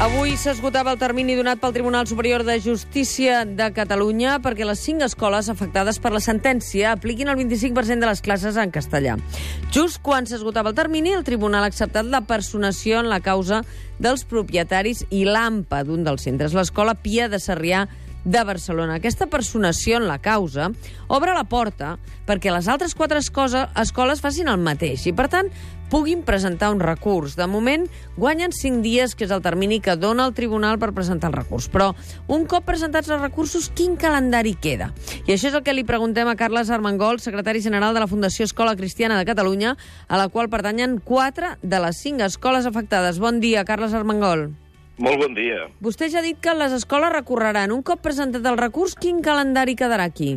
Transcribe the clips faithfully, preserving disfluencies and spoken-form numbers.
Avui s'esgotava el termini donat pel Tribunal Superior de Justícia de Catalunya perquè les cinc escoles afectades per la sentència apliquin el vint-i-cinc per cent de les classes en castellà. Just quan s'esgotava el termini, el Tribunal ha acceptat la personació en la causa dels propietaris i l'A M P A d'un dels centres, l'Escola Pia de Sarrià de Barcelona. Aquesta personació en la causa obre la porta perquè les altres quatre escoles facin el mateix i, per tant, puguin presentar un recurs. De moment, guanyen cinc dies, que és el termini que dona el tribunal per presentar el recurs. Però, un cop presentats els recursos, quin calendari queda? I això és el que li preguntem a Carles Armengol, secretari general de la Fundació Escola Cristiana de Catalunya, a la qual pertanyen quatre de les cinc escoles afectades. Bon dia, Carles Armengol. Molt bon dia. Vostè ja ha dit que les escoles recorreran. Un cop presentat el recurs, quin calendari quedarà aquí?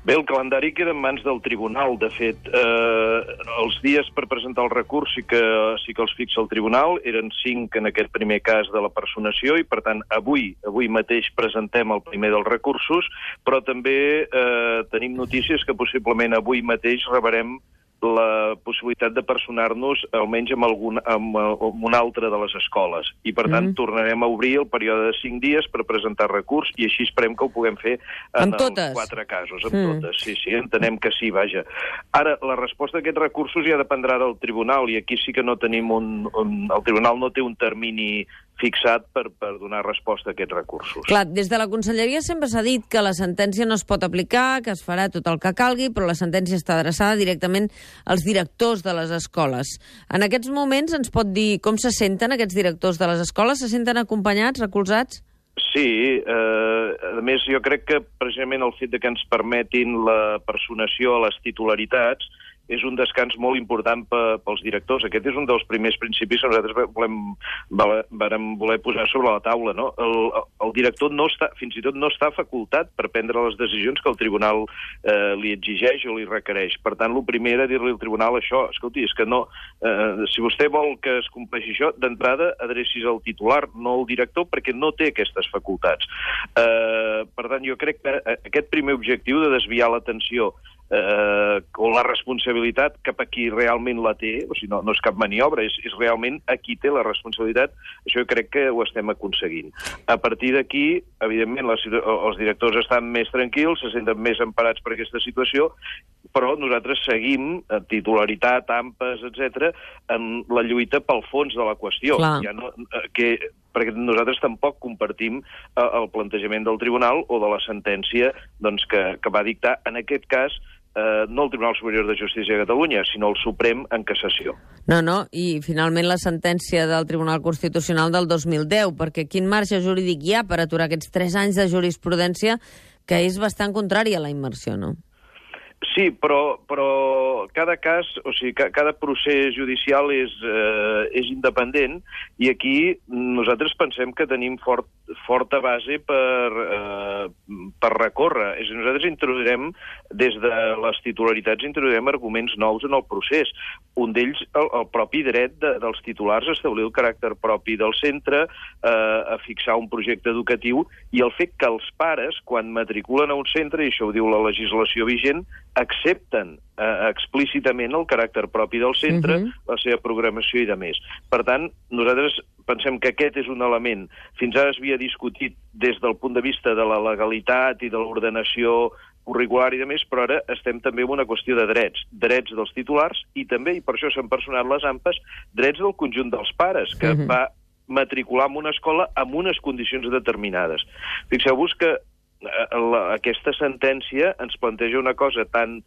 Bé, el calendari queda en mans del tribunal. De fet, eh, els dies per presentar el recurs sí que, sí que els fixa el tribunal. Eren cinc en aquest primer cas de la personació i, per tant, avui avui mateix presentem el primer dels recursos, però també eh, tenim notícies que possiblement avui mateix rebrem la possibilitat de personar-nos almenys amb, algun, amb, amb una altra de les escoles. I, per tant, mm. tornarem a obrir el període de cinc dies per presentar recurs i així esperem que ho puguem fer en els quatre casos. Amb mm. totes, sí, sí, entenem que sí, vaja. Ara, la resposta a aquests recursos ja dependrà del tribunal i aquí sí que no tenim un... un el tribunal no té un termini fixat per, per donar resposta a aquests recursos. Clar, des de la Conselleria sempre s'ha dit que la sentència no es pot aplicar, que es farà tot el que calgui, però la sentència està adreçada directament als directors de les escoles. En aquests moments ens pot dir com se senten aquests directors de les escoles? Se senten acompanyats, recolzats? Sí, eh, a més jo crec que precisament el fet de que ens permetin la personació a les titularitats és un descans molt important pels directors. Aquest és un dels primers principis que nosaltres volem, vam voler posar sobre la taula. No? El, el director no està, fins i tot no està facultat per prendre les decisions que el tribunal eh, li exigeix o li requereix. Per tant, el primer era dir-li al tribunal això, escolti, és que no, eh, si vostè vol que es compleixi això, d'entrada adrecis al titular, no al director, perquè no té aquestes facultats. Eh, per tant, jo crec que aquest primer objectiu de desviar l'atenció Eh, o la responsabilitat cap a qui realment la té, o sigui, no, no és cap maniobra, és, és realment a qui té la responsabilitat, això jo crec que ho estem aconseguint. A partir d'aquí, evidentment, les, els directors estan més tranquils, se senten més emparats per aquesta situació, però nosaltres seguim, en titularitat, A M P As, etcètera, en la lluita pel fons de la qüestió. Ja no, que, perquè nosaltres tampoc compartim eh, el plantejament del tribunal o de la sentència doncs, que, que va dictar, en aquest cas, eh, no el Tribunal Superior de Justícia de Catalunya, sinó el Suprem en cassació. No, no, i finalment la sentència del Tribunal Constitucional del dos mil deu, perquè quin marge jurídic hi ha per aturar aquests tres anys de jurisprudència que és bastant contrari a la immersió, no? Sí, però, però cada cas, o sigui, cada procés judicial és, eh, és independent i aquí nosaltres pensem que tenim fort, forta base per, eh, per recórrer. És a dir, nosaltres introduirem, des de les titularitats, introduirem arguments nous en el procés. Un d'ells, el, el propi dret de, dels titulars a establir el caràcter propi del centre, eh, a fixar un projecte educatiu i el fet que els pares, quan matriculen a un centre, i això ho diu la legislació vigent, accepten eh, explícitament el caràcter propi del centre, uh-huh. la seva programació i de més. Per tant, nosaltres pensem que aquest és un element. Fins ara es havia discutit des del punt de vista de la legalitat i de l'ordenació curricular i de més, però ara estem també en una qüestió de drets. Drets dels titulars i també, i per això s'han personat les A M P As, drets del conjunt dels pares, que uh-huh. va matricular en una escola amb unes condicions determinades. Fixeu-vos que La, aquesta sentència ens planteja una cosa tan,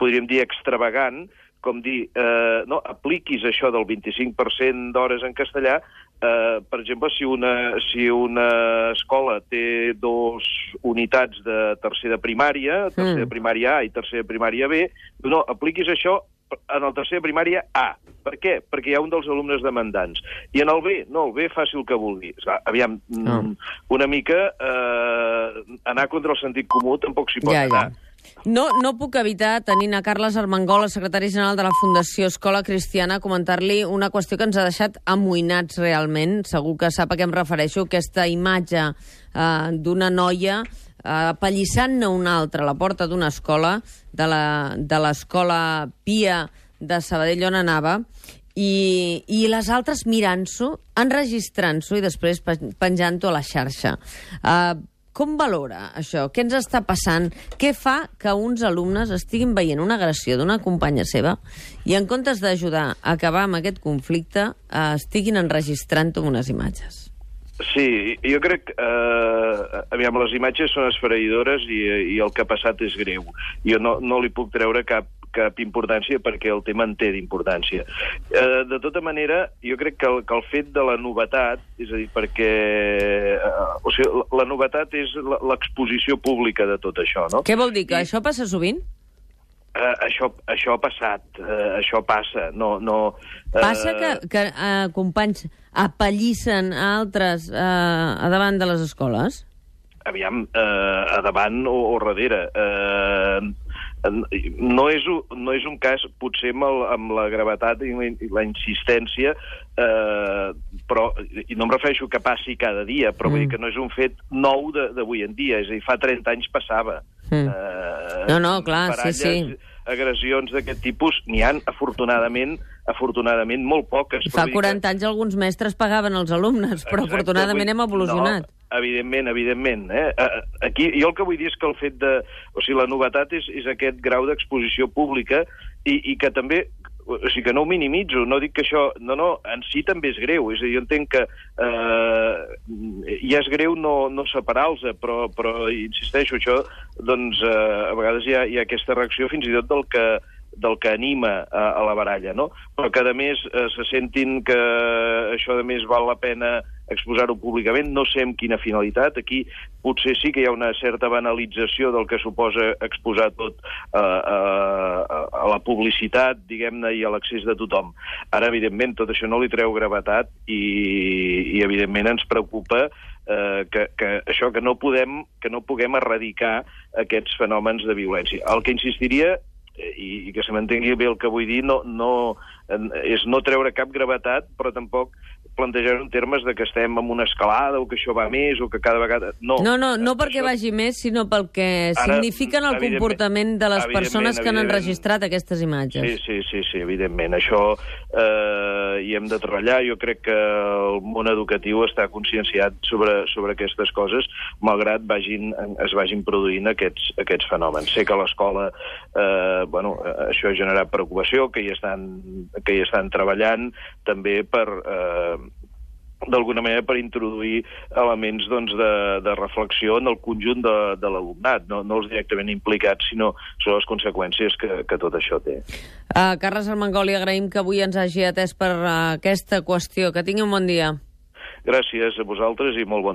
podríem dir, extravagant, com dir, eh, no, apliquis això del vint-i-cinc per cent d'hores en castellà, eh, per exemple, si una, si una escola té dos unitats de tercer de primària, tercer de primària A i tercer de primària B, no, apliquis això en el tercer de primària A. Per què? Perquè hi ha un dels alumnes demandants. I en el B, no, el B faci el que vulgui. Aviam, no. una mica eh, anar contra el sentit comú tampoc s'hi pot ja, anar. Ja. No, no puc evitar, tenint a Carles Armengol, el secretari general de la Fundació Escola Cristiana, comentar-li una qüestió que ens ha deixat amoïnats realment. Segur que sap a què em refereixo, aquesta imatge eh, d'una noia eh, apallissant-ne una altra a la porta d'una escola, de l'escola Pia de Sabadell on anava, i, i les altres mirant-s'ho, enregistrant-s'ho i després penjant-ho a la xarxa. Uh, com valora això? Què ens està passant? Què fa que uns alumnes estiguin veient una agressió d'una companya seva i en comptes d'ajudar a acabar amb aquest conflicte, uh, estiguin enregistrant-ho amb unes imatges? Sí, jo crec que eh, aviam, les imatges són esfereïdores i, i el que ha passat és greu. Jo no, no li puc treure cap, cap importància perquè el tema en té d'importància. Eh, de tota manera, jo crec que el, que el fet de la novetat, és a dir, perquè eh, o sigui, la, la novetat és l'exposició pública de tot això, no? Què vol dir? Que I... això passa sovint? Uh, això, això ha passat, uh, això passa, no... no uh... Passa que, que uh, companys apallissen a altres uh, a davant de les escoles? Aviam, uh, a davant o, o darrere. Uh, no, és, no és un cas, potser amb, el, amb la gravetat i la, i la insistència, uh, però, i no em refereixo que passi cada dia, però mm. vull dir que no és un fet nou d'avui en dia, és a dir, fa trenta anys passava. Mm. Uh, no, no, clar, baralles, sí, sí. Agressions d'aquest tipus n'hi han, afortunadament, afortunadament molt poques. I fa quaranta anys alguns mestres pagaven els alumnes, però exacte, afortunadament hem evolucionat. No, evidentment, evidentment. Eh? Aquí, jo el que vull dir és que el fet de... O sigui, la novetat és, és aquest grau d'exposició pública i, i que també... O sigui, que no ho minimitzo, no dic que això... No, no, en si també és greu. És a dir, jo entenc que eh, ja és greu no, no separar-los, però, però insisteixo, això, doncs, eh, a vegades hi ha, hi ha aquesta reacció fins i tot del que del que anima a, a la baralla, no? Però que, a més, eh, se sentin que això, a més, val la pena exposar-ho públicament, no sé amb quina finalitat. Aquí potser sí que hi ha una certa banalització del que suposa exposar tot a, a, a la publicitat, diguem-ne, i a l'accés de tothom. Ara, evidentment, tot això no li treu gravetat i, i evidentment, ens preocupa eh, que, que això, que no podem, que no puguem erradicar aquests fenòmens de violència. El que insistiria i, i que se m'entengui bé el que vull dir, no, no, és no treure cap gravetat, però tampoc plantejar en termes de que estem en una escalada o que això va més o que cada vegada... No, no, no, no perquè això... vagi més, sinó pel que Ara, signifiquen el comportament de les persones que han enregistrat aquestes imatges. Sí, sí, sí, sí, evidentment. Això eh, hi hem de treballar. Jo crec que el món educatiu està conscienciat sobre, sobre aquestes coses, malgrat vagin, es vagin produint aquests, aquests fenòmens. Sé que a l'escola eh, bueno, això ha generat preocupació, que hi estan, que hi estan treballant també per... Eh, d'alguna manera per introduir elements doncs, de, de reflexió en el conjunt de, de l'alumnat, no, no els directament implicats, sinó sobre les conseqüències que, que tot això té. Uh, Carles Armengol, li agraïm que avui ens hagi atès per uh, aquesta qüestió. Que tingui un bon dia. Gràcies a vosaltres i molt bon